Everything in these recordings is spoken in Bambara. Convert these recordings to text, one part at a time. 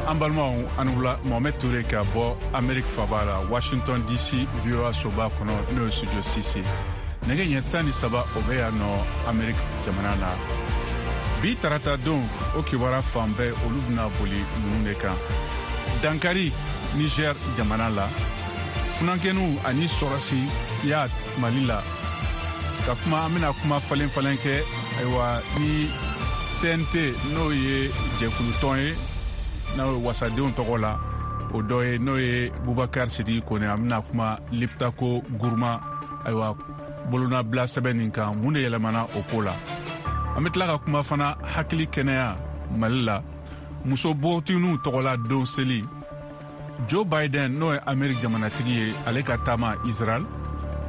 An balimaw, aw ni wula. Mohamed Toure ka bɔ Amerique faba la, Washington DC, VOA soba kɔnɔ, n'o ye studio 6. Nɛgɛ ɲɛ 13, o bɛ yan nɔ Amerique jamana na. Bi tarata don, o kibaruya fan bɛɛ, olu bɛna boli ninnu de kan: dankari Niger jamana la, funankɛninw ani sɔrɔsiya Mali la, ka kuma an bɛna kuma falen falen kɛ, ayiwa, ni CNT, n'o ye jɛkulutɔn ye, n'o ye wasadenw tɔgɔ la, o dɔ ye, n'o ye Bubakar Sidiki Kone. An bɛna kuma Liptako Gourma, ayiwa, bolonabila sɛbɛn nin kan, mun de yɛlɛmana o ko la. An bɛ tila ka kuma fana hakili kɛnɛya Mali la, muso npogotigininw tɔgɔla don seli, Joe Biden, n'o ye Ameriki jamanatigi ye, ale ka taama Israel,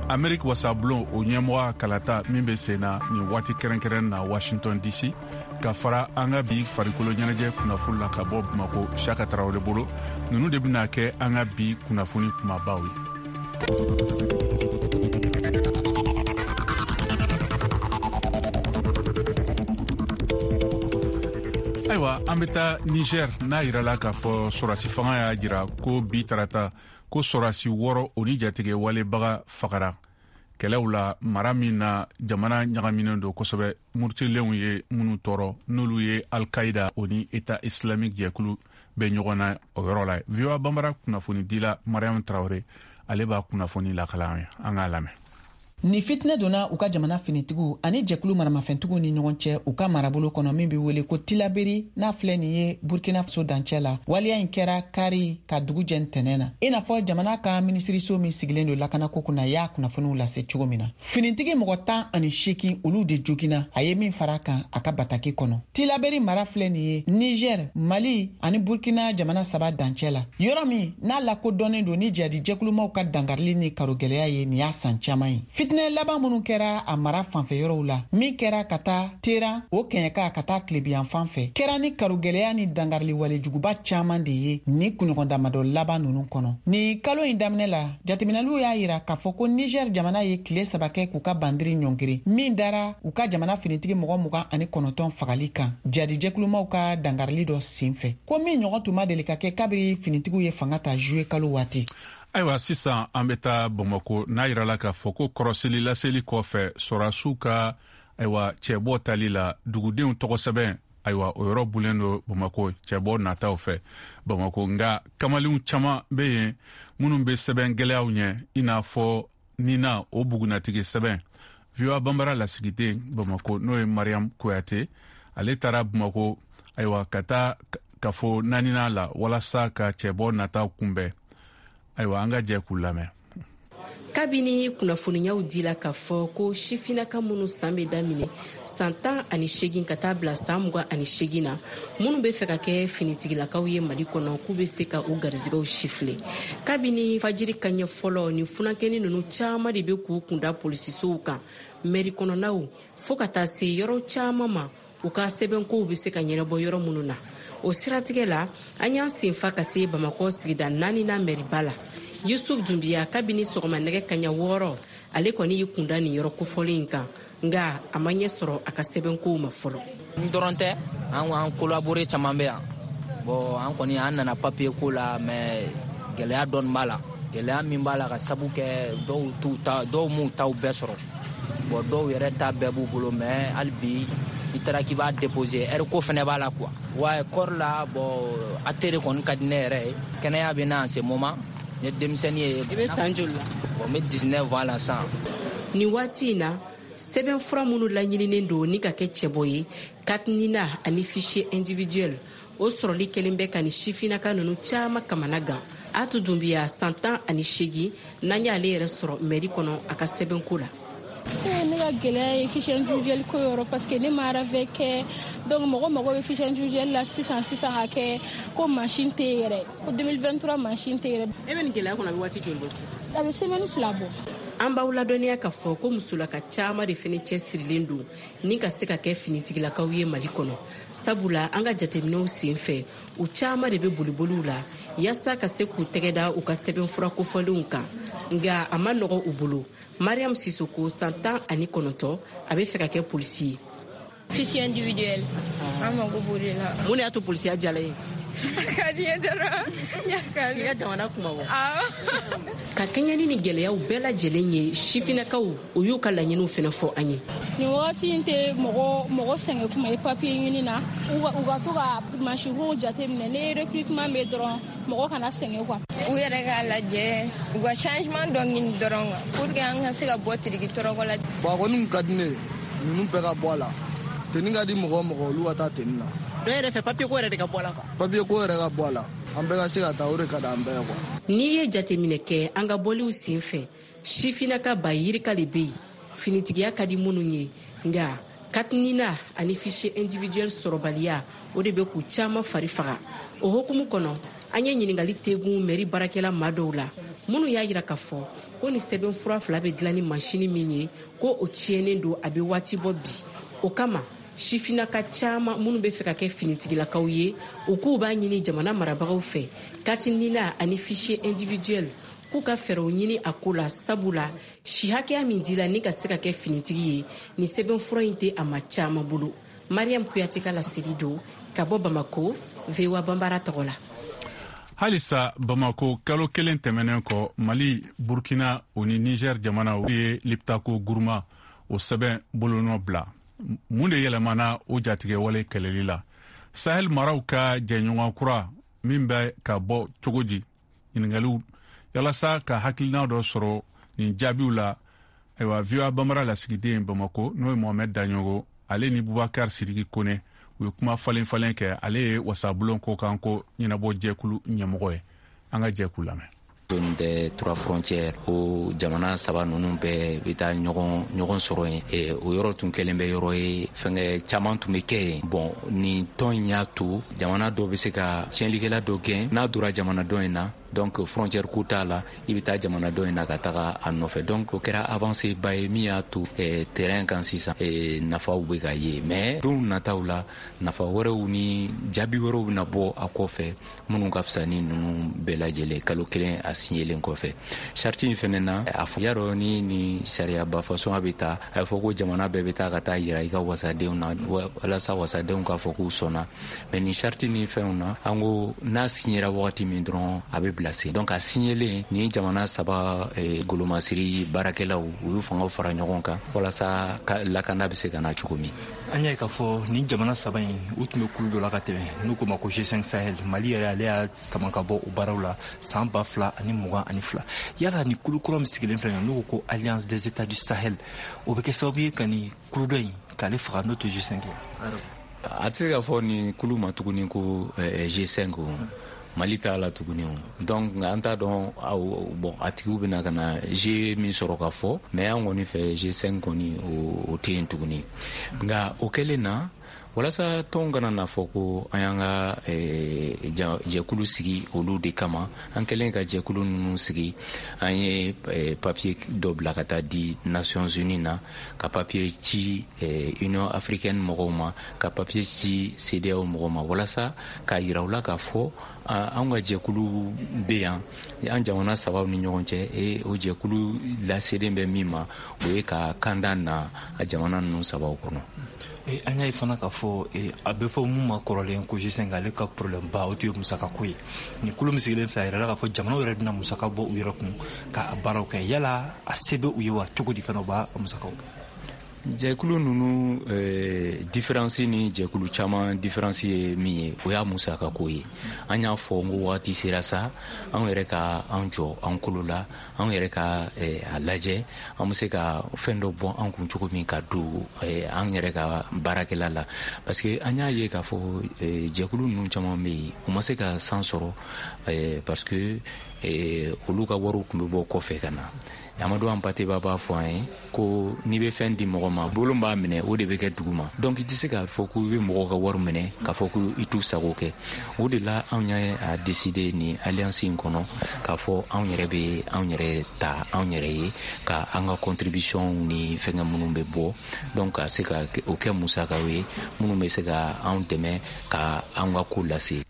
Ameriki wasabulon o ɲɛmɔgɔ kalata min bɛ sen na nin waati kɛrɛnkɛrɛn na Washington DC, ka fara an ka bi farikolo ɲɛnajɛ kunnafoni la ka bɔ Bamako, Siyaka Tarawele bolo. Ninnu de bɛna kɛ an ka bi kunnafoni kumabaw ye. Ayiwa, an bɛ taa Niger, n'a yirala k'a fɔ sɔrɔsi fanga y'a jira ko bi tarata ko sɔrɔsi 6, o ni jatigɛ walebaga fagara kɛlɛw la, mara min na jamana ɲagaminen don kosɛbɛ, murutilenw ye minnu tɔɔrɔ, n'olu ye Alkaida o ni État islamique jɛkulu bɛ ɲɔgɔn na o yɔrɔ la. VOA Banbara kunnafonidila Mariam Tarawele, ale b'a kunnafoni lakala an ye. An k'a lamɛn. Ni fitinɛ donna u ka jamana finitigiw ani jɛkulu maramafɛntigiw ni ɲɔgɔn cɛ u ka marabolo kɔnɔ min be wele ko Tilaberi, n'a filɛ nin ye Burkina Faso dancɛ la. Waleya in kɛra kari ka dugu jɛ ntɛnɛn na, i n'a fɔ jamana ka minisiriso min sigilen don lakanako kunna y'a kunnafoniw lase cogo min na. Finitigi mɔgɔ 18, olu de joginna, a ye min fara kan a ka bataki kɔnɔ. Tilaberi mara filɛ nin ye Niger, Mali ani Burkina jamana saba dancɛ la, yɔrɔ min n'a lakodɔnnen don ni jihadi jɛkulumaw ka dankarili ni karogɛlɛya ye nin y'a san caman ye. Fitinɛ laban minnu kɛra a mara fanfɛ yɔrɔw la, min kɛra ka taa Teran o kɛɲɛka ka taa tilebiyan fan fɛ, kɛra ni karogɛlɛya ni dankarili walejuguba caman de ye ni kunɲɔgɔn damadɔ laban ninnu kɔnɔ. Ni kalo in daminɛ la, jateminɛliw y'a yira k'a fɔ ko Niger jamana ye tile 3 kɛ k'u ka bandiri ɲɔngiri min dara u ka jamana finitigi mɔgɔ 29 fagali kan jadijɛkulumaw ka dankarili dɔ sen fɛ, ko min ɲɔgɔn tun ma deli ka kɛ kabiri finitigiw ye fanga ta juye kalo waati. Ayiwa, sisan an bɛ taa Bamako, n'a yirala k'a fɔ ko kɔrɔseli laseli kɔfɛ, sɔrɔdasiw ka, ayiwa, cɛbɔ tali la, dugudenw tɔgɔ sɛbɛn, ayiwa, o yɔrɔ bulen don Bamako cɛbɔ nataw fɛ Bamako. Nka kamalenw caman bɛ yen minnu bɛ sɛbɛn gɛlɛyaw ɲɛ, i n'a fɔ nina o bugunatigi sɛbɛn. VOA Banbara lasigiden Bamako, n'o ye Mariam Kuyate, ale taara Bamako, ayiwa, ka taa kafo naaninan la walasa ka cɛbɔ nataw kunbɛn. Ayiwa, an ka jɛ k'u lamɛn. Kabini kunnafoniyaw dila k'a fɔ ko sifinaka minnu san bɛ daminɛ san 18 ka taa bila san 28 na, minnu bɛ fɛ ka kɛ finitigilakaw ye Mali kɔnɔ, k'u bɛ se ka u garizigɛw sifile, kabini fajiri kaɲɛ fɔlɔ, ni funankɛni ninnu caman de bɛ k'u kunda polisisow kan, mɛri kɔnɔnaw, fɔɔ ka taa se yɔrɔ caman ma, u ka sɛbɛnkow bɛ se ka ɲɛnabɔ yɔrɔ minnu na. O siratigɛ la, an y'an senfa ka se Bamakɔ sigida naaninan mɛriba la. Yusuf Dunbiya, kabini sɔgɔma nɛgɛ kaɲa 6, ale kɔni y'i kunda nin yɔrɔ kofɔlen in kan, nga a ma ɲɛ sɔrɔ a ka sɛbɛnkow ma fɔlɔ. N dɔrɔn tɛ, an an collaborer caman bɛ yan. Bon, an kɔni an nana papier ko la, mais gɛlɛya dɔɔni b'a la. Gɛlɛya min b'a la, ka sabu kɛ dɔw t'u ta, dɔw m'u taw bɛɛ sɔrɔ. Bon, dɔw yɛrɛ ta bɛɛ b'u bolo, mais hali bi i taara k'i b'a déposer, heure ko fɛnɛ b'a la quoi. Wa kɔri la, bon, ATR kɔni ka di ne yɛrɛ ye. Kɛnɛya bɛ na en ce moment, ne denmisɛnnin ye. I bɛ san joli la? Bon, n bɛ 19 ans la sisan. Nin waati in na, sɛbɛn fura minnu laɲininen don ni ka kɛ cɛbɔ ye, carte NINA ani fichier individuel, o sɔrɔli kɛlen bɛ ka ni sifinnaka ninnu caman kamana gan. Atu Dunbiya, san 18, n'an y'ale yɛrɛ sɔrɔ mɛri kɔnɔ a ka sɛbɛnko la. Ne ka gɛlɛya ye fichier individuel ko yɔrɔ, parce que ne ma RAVEC kɛ. Donc mɔgɔ mago bɛ fichier individuel la sisan sisan ka kɛ, ko machine tɛ yen yɛrɛ, ko 2023 machine tɛ yɛrɛ. E bɛ nin gɛlɛya kɔnɔ, a bɛ waati joli bɔ sisan? A bɛ semaine 2 bɔ. An b'aw ladɔnniya k'a fɔ ko musolaka caman de fɛnɛ cɛsirilen don ni ka se ka kɛ finitigilakaw ye Mali kɔnɔ, sabula an ka jateminɛw sen fɛ, u caman de bɛ boliboliw la yaasa ka se k'u tɛgɛ da u ka sɛbɛnfura kofɔlenw kan, nka a ma nɔgɔ u bolo. Mariam Sisoko, san 19, a bɛ fɛ ka kɛ polisi ye. Fichier individuel, an mago b'o de la. Mun de y'a to polisiya diyala ye? A ka di n ye dɔrɔn, n y'a kanu. K'i ka jamana kuma bɔ. Awɔ. Ka kɛɲɛ ni nin gɛlɛyaw bɛɛ lajɛlen ye, sifinnakaw, o y'u ka laɲiniw fɛnɛ fɔ an ye. Nin wagati in tɛ mɔgɔ sɛgɛn kuma ye papiye ɲini na. U ka to ka mansinw jateminɛ, ni recrutement bɛ dɔrɔn, mɔgɔ kana sɛgɛn quoi. U yɛrɛ k'a lajɛ, u ka changement dɔ ɲini dɔrɔn quoi, pour que an ka se ka bɔ tiriki tɔrɔkɔ la. Bon, a kɔni ka di ne ye ninnu bɛɛ ka bɔ a la. Tenue ka di mɔgɔ o mɔgɔ, olu ka taa tenue na. Dɔ yɛrɛ fɛ, papiye ko yɛrɛ de ka bɔ a la quoi. Papiye ko yɛrɛ ka bɔ a la, an bɛɛ ka se ka taa, o de ka di an bɛɛ ye quoi. N'i ye jateminɛ kɛ an ka bɔliw sen fɛ, sifinnaka ba yirika le bɛ yen finitigiya ka di minnu ye, nka carte NINA ani fichier individuel sɔrɔbaliya, o de bɛ k'u caman fari faga. O hukumu kɔnɔ, an ye ɲininkali tegun mɛri baarakɛla maa dɔw la, minnu y'a yira k'a fɔ ko ni sɛbɛnfura fila bɛ dilan ni masini min ye, ko o tiɲɛnen don, a bɛ waati bɔ bi. O kama, sifinnaka caman minnu bɛ fɛ ka kɛ finitigilakaw ye, u k'u b'a ɲini jamana marabagaw fɛ, carte NINA ani fichier individuel, k'u ka fɛɛrɛw ɲini a ko la, sabula si hakɛya min dila ni ka se ka kɛ finitigi ye, ni sɛbɛnfura in tɛ a ma caman bolo. Mariam Kuyate ka laseli don ka bɔ Bamako, VOA Banbara tɔgɔ la. Halisa Bamako, kalo kelen tɛmɛnen kɔ, Mali, Burkina o ni Niger jamanaw ye Liptako Guruma o sɛbɛn bolonɔ bila. Mun de yɛlɛmana o jatigɛwale kɛlɛli la? Sahel maraw ka jɛɲɔgɔn kura min bɛ ka bɔ cogo di? Ɲiningaliw yalasa ka hakilina dɔ sɔrɔ nin jaabiw la. Ayiwa, VOA Bambara lasigiden Bamako, n'o ye Mohamɛd Daɲogo, ale ni Bubakar Sidiki Kone, u ye kuma falen falen kɛ. Ale ye wasabulon ko kan ko ɲɛnabɔ jɛkulu ɲɛmɔgɔ ye. An ka jɛ k'u lamɛn. Zone des trois frontières, o jamana saba ninnu bɛɛ bɛ taa ɲɔgɔn sɔrɔ yen. O yɔrɔ tun kɛlen bɛ yɔrɔ ye, fɛnkɛ caman tun bɛ kɛ yen. Bon, nin tɔn in y'a to jamana dɔ bɛ se ka tiɲɛlikɛla dɔ gɛn n'a donna jamana dɔ in na. Donc frontière ko t'a la, i bɛ taa jamana dɔ in na ka taga a nɔfɛ. Donc o kɛra avancée ba ye min y'a to terrain kan sisan, nafaw bɛ ka ye. Mais don nataw la, nafa wɛrɛw ni jaabi wɛrɛw bɛna bɔ a kɔfɛ minnu ka fisa ni ninnu bɛɛ lajɛlen. Kalo kelen a signelen kɔfɛ, charte in fɛnɛ na, a fɔ y'a dɔn ni sariyaba façon a bɛ taa, a bɛ fɔ ko jamana bɛɛ bɛ taa ka taa yira i ka wasadenw na walasa wasadenw k'a fɔ k'u sɔnna. Mais ni charte ni fɛnw na, an ko n'a signera wagati min dɔrɔn, a bɛ bila sen. Donc a signelen, ni jamana saba golomasiri baarakɛlaw, u y'u fangaw fara ɲɔgɔn kan walasa lakana bɛ se ka na cogo min. An y'a ye k'a fɔ nin jamana saba in, u tun bɛ kulu dɔ la ka tɛmɛ n'u k'o ma ko G5 Sahel. Mali yɛrɛ, ale y'a sama ka bɔ o baaraw la san 2022. Yala ni kulu kura min sigilen filɛ nin, n'u ko ko Alliance des États du Sahel, o bɛ kɛ sababu ye ka nin kulu dɔ in k'ale faga, n'o tɛ G5 ye? A tɛ se ka fɔ nin kulu ma tuguni ko G5. O Mali t'a la tuguni o. Donc an t'a dɔn, bon, a tigiw bɛna ka na G min sɔrɔ ka fɔ. Mais an kɔni fɛ, G5 kɔni, o tɛ yen tuguni. Nka o kɛlen na, walasa tɔn kana na fɔ ko an y'an ka jɛkulu sigi olu de kama, an kɛlen ka jɛkulu ninnu sigi, an ye papier dɔ bila ka taa di Nations Unies na, ka papier ci Union africaine mɔgɔw ma, ka papier ci CEDEAO mɔgɔw ma, walasa k'a yira u la k'a fɔ an ka jɛkulu bɛ yan, an jamana sabaw ni ɲɔgɔn cɛ. E o jɛkulu laselen bɛ min ma, o ye ka kanda na a jamana ninnu sabaw kɔnɔ. An y'a ye fana k'a fɔ a bɛ fɔ mun ma kɔrɔlen ko G5, ale ka problème ba, o tun ye musakako ye. Nin kulu min sigilen filɛ, a yirala k'a fɔ jamanaw yɛrɛ bɛna musaka bɔ u yɛrɛ kun k'a baaraw kɛ. Yala a se bɛ u ye wa? Cogo di fana u b'a musakaw bɔ? Jɛkulu ninnu différence ni jɛkulu caman différence ye min ye, o y'a musakako ye. An y'a fɔ n ko wagati sera sa, anw yɛrɛ ka an jɔ an kolo la, anw yɛrɛ ka a lajɛ an bɛ se ka fɛn dɔ bɔ an kun cogo min ka don an yɛrɛ ka baarakɛla la, parce que an y'a ye k'a fɔ jɛkulu ninnu caman bɛ yen, u ma se ka san sɔrɔ parce que olu ka wariw tun bɛ bɔ kɔfɛ ka na. Amadou Hampâté Bâ b'a fɔ an ye ko n'i bɛ fɛn di mɔgɔ ma, bolo b'a minɛ, o de bɛ kɛ dugu ma. Donc i tɛ se k'a fɔ ko i bɛ mɔgɔw ka wari minɛ k'a fɔ ko i t'u sago kɛ. O de la, anw y'a décider nin alliance in kɔnɔ k'a fɔ anw yɛrɛ bɛ anw yɛrɛ ta anw yɛrɛ ye, ka an ka contribution ni fɛnkɛ minnu bɛ bɔ, donc ka se ka o kɛ musakaw ye minnu bɛ se ka anw dɛmɛ ka an ka ko lase.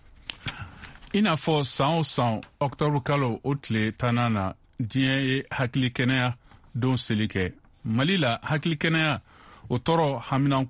I n'a fɔ san o san, ɔktɔburu kalo o tile 10nan na, diɲɛ ye hakili kɛnɛya don seli kɛ. Mali la, hakili kɛnɛya o tɔɔrɔ haminanko